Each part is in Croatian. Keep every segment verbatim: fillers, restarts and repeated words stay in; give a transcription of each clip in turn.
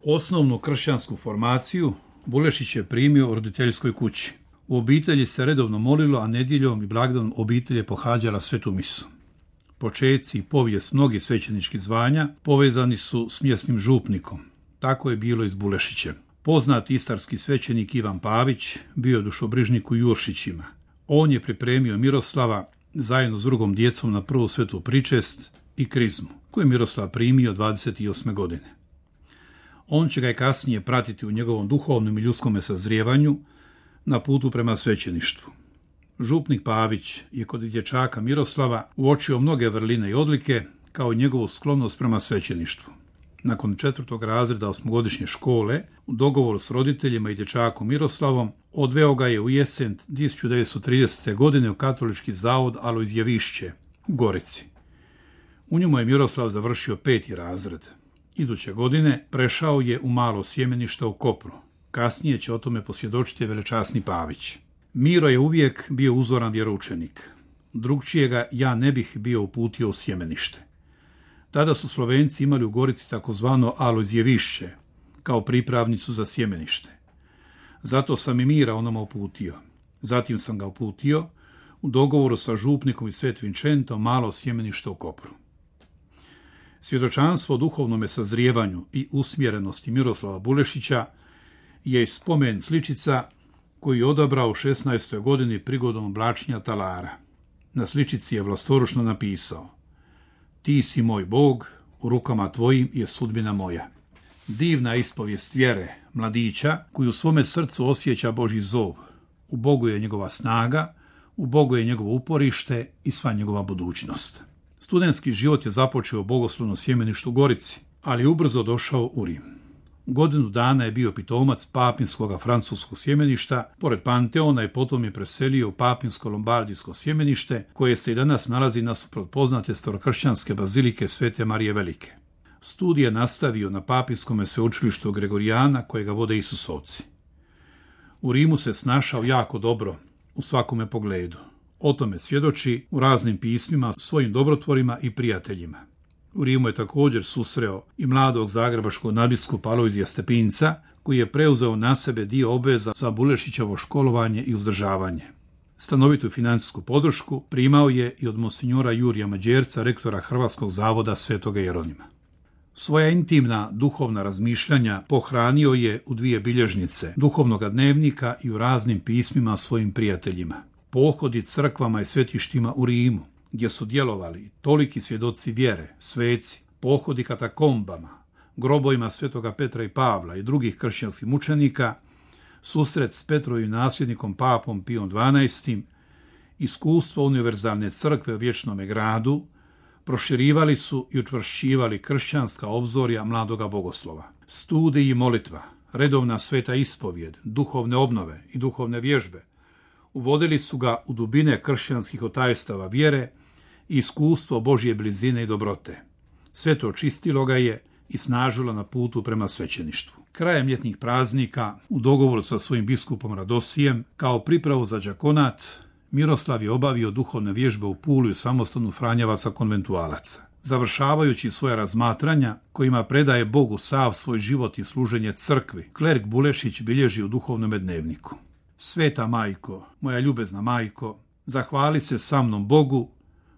Osnovnu kršćansku formaciju Bulešić je primio u roditeljskoj kući. U obitelji se redovno molilo, a nedjeljom i blagdanom obitelj je pohađala svetu misu. Počeci i povijest mnogih svećeničkih zvanja povezani su s mjesnim župnikom. Tako je bilo i s Bulešićem. Poznati istarski svećenik Ivan Pavić bio je dušobrižnik u Juršićima. On je pripremio Miroslava zajedno s drugom djecom na prvu svetu pričest i krizmu, koju je Miroslav primio dvadeset osme godine. On će ga i kasnije pratiti u njegovom duhovnom i ljudskome sazrijevanju na putu prema svećeništvu. Župnik Pavić je kod dječaka Miroslava uočio mnoge vrline i odlike, kao i njegovu sklonost prema svećeništvu. Nakon četvrtog razreda osmogodišnje škole, u dogovoru s roditeljima i dječakom Miroslavom, odveo ga je u jesen tisuću devetsto tridesete. godine u katolički zavod Alojzjevišće u Gorici. U njemu je Miroslav završio peti razred. Iduće godine prešao je u malo sjemenište u Kopru. Kasnije će o tome posvjedočiti velečasni Pavić. Miro je uvijek bio uzoran vjeroučenik. Drugčijega ja ne bih bio uputio u sjemenište. Tada su Slovenci imali u Gorici takozvano Alojzjevišće, kao pripravnicu za sjemenište. Zato sam i Mira onoma uputio. Zatim sam ga uputio u dogovoru sa župnikom i Svet Vinčentom malo sjemenište u Kopru. Svjedočanstvo o duhovnome sazrijevanju i usmjerenosti Miroslava Bulešića je spomen sličica koju je odabrao u šesnaestoj godini prigodom oblačenja talara. Na sličici je vlastoručno napisao: Ti si moj Bog, u rukama tvojim je sudbina moja. Divna ispovijest vjere mladića koji u svome srcu osjeća Božji zov. U Bogu je njegova snaga, u Bogu je njegovo uporište i sva njegova budućnost. Studentski život je započeo u bogoslovnom sjemeništu u Gorici, ali je ubrzo došao u Rim. Godinu dana je bio pitomac papinskog francuskog sjemeništa, pored Panteona, i potom je preselio u papinsko lombardijsko sjemenište, koje se i danas nalazi nasuprot poznate starokršćanske bazilike Svete Marije Velike. Studij je nastavio na papinskom sveučilištu Gregorijana, kojega vode Isusovci. U Rimu se snašao jako dobro u svakome pogledu. O tome svjedoči u raznim pismima svojim dobrotvorima i prijateljima. U Rimu je također susreo i mladog zagrebačkog nadbiskupa Alojzija Stepinca, koji je preuzeo na sebe dio obveza za Bulešićevo školovanje i uzdržavanje. Stanovitu financijsku podršku primao je i od monsinjora Jurija Mađerca, rektora Hrvatskog zavoda Svetoga Jeronima. Svoja intimna duhovna razmišljanja pohranio je u dvije bilježnice duhovnog dnevnika i u raznim pismima svojim prijateljima. Pohodi crkvama i svetištima u Rimu, gdje su djelovali toliki svjedoci vjere, sveci, pohodi katakombama, grobovima svetoga Petra i Pavla i drugih kršćanskih mučenika, susret s Petrovim nasljednikom papom Pijom dvanaestim, iskustvo univerzalne crkve u vječnome gradu, proširivali su i učvršćivali kršćanska obzorja mladoga bogoslova. Studij i molitva, redovna sveta ispovjed, duhovne obnove i duhovne vježbe uvodili su ga u dubine kršćanskih otajstava vjere i iskustvo Božje blizine i dobrote. Sve to čistilo ga je i snažilo na putu prema svećeništvu. Krajem ljetnih praznika, u dogovoru sa svojim biskupom Radosijem, kao pripravu za đakonat, Miroslav je obavio duhovne vježbe u Puli u samostanu Franjevaca konventualaca. Završavajući svoja razmatranja, kojima predaje Bogu sav svoj život i služenje crkvi, klerk Bulešić bilježi u duhovnom dnevniku: Sveta majko, moja ljubezna majko, zahvali se sa mnom Bogu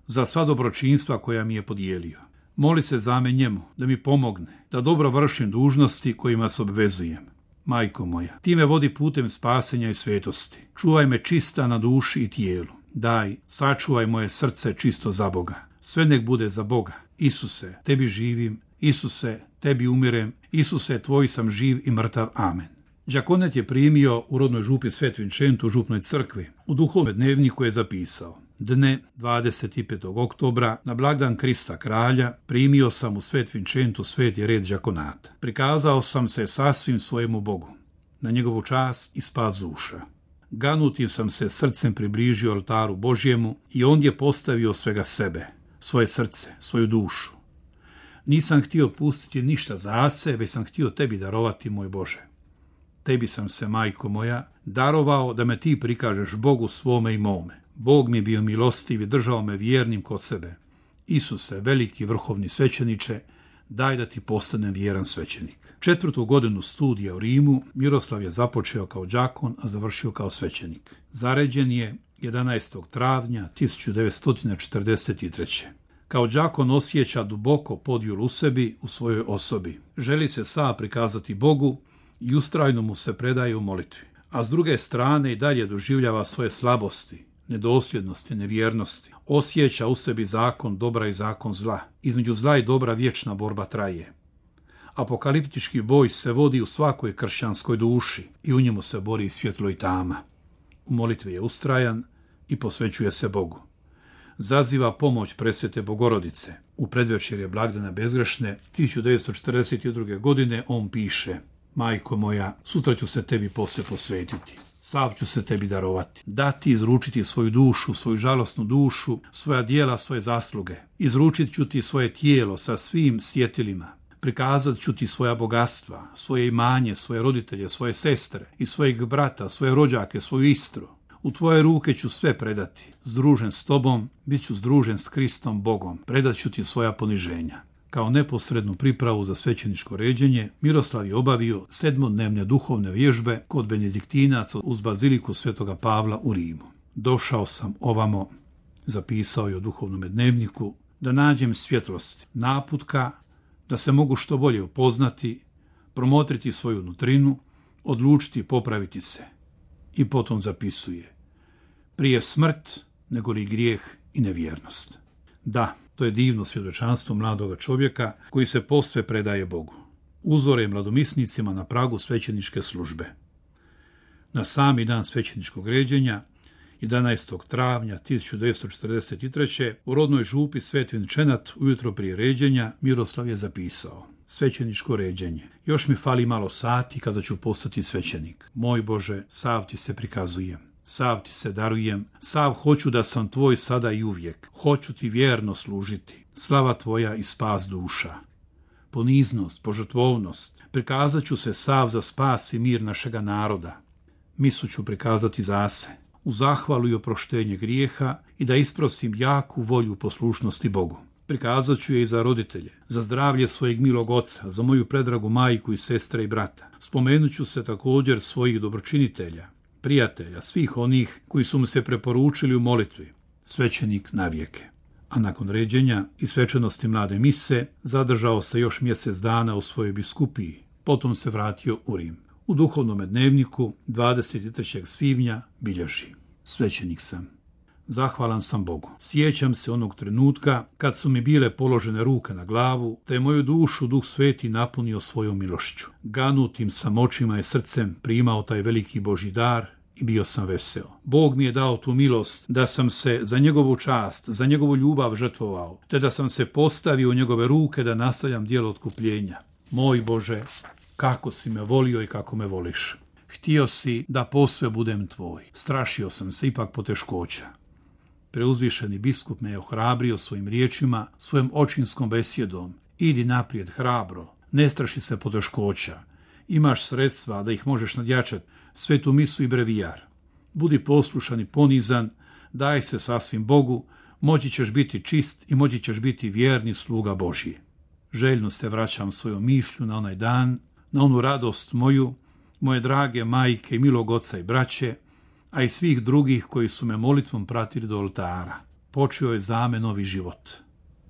za sva dobročinstva koja mi je podijelio. Moli se za me njemu da mi pomogne, da dobro vršim dužnosti kojima se obvezujem. Majko moja, ti me vodi putem spasenja i svetosti. Čuvaj me čista na duši i tijelu. Daj, sačuvaj moje srce čisto za Boga. Sve nek bude za Boga. Isuse, tebi živim. Isuse, tebi umirem. Isuse, tvoj sam živ i mrtav. Amen. Đakonet je primio u rodnoj župi Svet Vinčent u župnoj crkvi. U duhovnom dnevniku je zapisao: Dne dvadeset petog oktobra, na blagdan Krista kralja, primio sam u Svet Vinčentu sveti red đakonata. Prikazao sam se sasvim svojemu Bogu, na njegovu čast i spas duša. Ganutim sam se srcem približio oltaru Božjemu i ondje postavio svega sebe, svoje srce, svoju dušu. Nisam htio pustiti ništa za sebe, već sam htio tebi darovati, moj Bože. Tebi sam se, majko moja, darovao da me ti prikažeš Bogu svome i mome. Bog mi je bio milostiv i držao me vjernim kod sebe. Isuse, veliki vrhovni svećeniče, daj da ti postanem vjeran svećenik. Četvrtu godinu studija u Rimu Miroslav je započeo kao đakon, a završio kao svećenik. Zaređen je jedanaestog travnja tisuću devetsto četrdeset treće. Kao đakon osjeća duboko podjulu u sebi, u svojoj osobi. Želi se sam prikazati Bogu i ustrajno mu se predaje u molitvi. A s druge strane i dalje doživljava svoje slabosti, nedosljednosti, nevjernosti. Osjeća u sebi zakon dobra i zakon zla. Između zla i dobra vječna borba traje. Apokaliptički boj se vodi u svakoj kršćanskoj duši i u njemu se bori svjetlo i tama. U molitvi je ustrajan i posvećuje se Bogu. Zaziva pomoć presvete Bogorodice. U predvečerje blagdana bezgrešne tisuću devetsto četrdeset druge. godine on piše: Majko moja, sutra ću se tebi posve posvetiti. Sav ću se tebi darovati. Dati izručiti svoju dušu, svoju žalosnu dušu, svoja dijela, svoje zasluge. Izručit ću ti svoje tijelo sa svim sjetilima. Prikazat ću ti svoja bogatstva, svoje imanje, svoje roditelje, svoje sestre i svojeg brata, svoje rođake, svoju istru. U tvoje ruke ću sve predati. Združen s tobom, bit ću združen s Kristom Bogom. Predat ću ti svoja poniženja. Kao neposrednu pripravu za svećeničko ređenje, Miroslav je obavio sedmodnevne duhovne vježbe kod benediktinaca uz baziliku Svetoga Pavla u Rimu. Došao sam ovamo, zapisao je u duhovnom dnevniku, da nađem svjetlosti, naputka, da se mogu što bolje upoznati, promotriti svoju nutrinu, odlučiti i popraviti se. I potom zapisuje: prije smrt nego li grijeh i nevjernost. Da, to je divno svjedočanstvo mladoga čovjeka koji se posve predaje Bogu. Uzore mladomisnicima na pragu svećeničke službe. Na sami dan svećeničkog ređenja, jedanaestog travnja tisuću devetsto četrdeset treće. u rodnoj župi Svet Vinčenat ujutro prije ređenja Miroslav je zapisao: svećeničko ređenje. Još mi fali malo sati kada ću postati svećenik. Moj Bože, sav ti se prikazujem. Sav ti se darujem, sav hoću da sam tvoj sada i uvijek. Hoću ti vjerno služiti. Slava tvoja i spas duša. Poniznost, požrtvovnost, prikazat ću se sav za spas i mir našega naroda. Misu ću prikazati zase, u zahvalu i oproštenje grijeha i da isprosim jaku volju poslušnosti Bogu. Prikazat ću je i za roditelje, za zdravlje svojeg milog oca, za moju predragu majku i sestre i brata. Spomenut ću se također svojih dobročinitelja, prijatelja, svih onih koji su mu se preporučili u molitvi. Svećenik navijeke. A nakon ređenja i svečanosti mlade mise zadržao se još mjesec dana u svojoj biskupiji. Potom se vratio u Rim. U duhovnom dnevniku dvadeset trećeg svibnja bilježi: svećenik sam. Zahvalan sam Bogu. Sjećam se onog trenutka kad su mi bile položene ruke na glavu, te je moju dušu Duh Sveti napunio svojom milošću. Ganutim sam očima i srcem primao taj veliki Božji dar i bio sam veseo. Bog mi je dao tu milost da sam se za njegovu čast, za njegovu ljubav žrtvovao, te da sam se postavio u njegove ruke da nastavljam djelo otkupljenja. Moj Bože, kako si me volio i kako me voliš. Htio si da posve budem tvoj. Strašio sam se ipak poteškoća. Preuzvišeni biskup me je ohrabrio svojim riječima, svojom očinskom besjedom. Idi naprijed hrabro, ne straši se poteškoća. Imaš sredstva da ih možeš nadjačati, svetu misu i brevijar. Budi poslušan i ponizan, daj se sasvim Bogu, moći ćeš biti čist i moći ćeš biti vjerni sluga Božji. Željno se vraćam svojom mišlju na onaj dan, na onu radost moju, moje drage majke i milog oca i braće, a i svih drugih koji su me molitvom pratili do oltara. Počeo je za me novi život,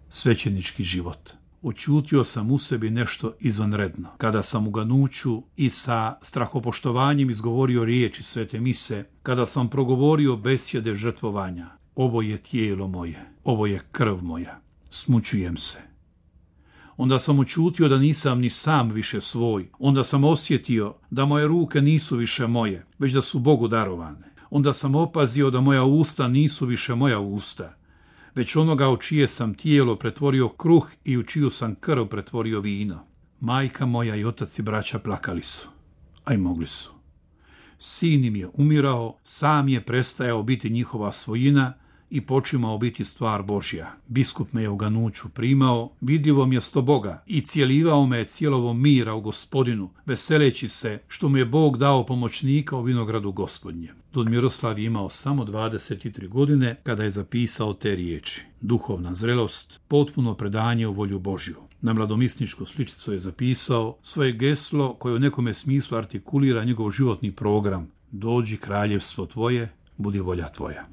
svećenički život. Očutio sam u sebi nešto izvanredno. Kada sam u ganuću i sa strahopoštovanjem izgovorio riječi svete mise, kada sam progovorio besjede žrtvovanja: ovo je tijelo moje, ovo je krv moja, smućujem se. Onda sam očutio da nisam ni sam više svoj. Onda sam osjetio da moje ruke nisu više moje, već da su Bogu darovane. Onda sam opazio da moja usta nisu više moja usta, već onoga u čije sam tijelo pretvorio kruh i u čiju sam krv pretvorio vino. Majka moja i otac i braća plakali su, a i mogli su. Sin im je umirao, sam je prestajao biti njihova svojina i počimao biti stvar Božja. Biskup me je u ganuću primao, vidljivo mjesto Boga, i cijelivao me je cijelovom mira u Gospodinu, veseleći se što mu je Bog dao pomoćnika u vinogradu Gospodnjem. Don Miroslav je imao samo dvadeset tri godine kada je zapisao te riječi: duhovna zrelost, potpuno predanje u volju Božju. Na mladomisničku sličicu je zapisao svoje geslo koje u nekome smislu artikulira njegov životni program: dođi kraljevstvo tvoje, budi volja tvoja.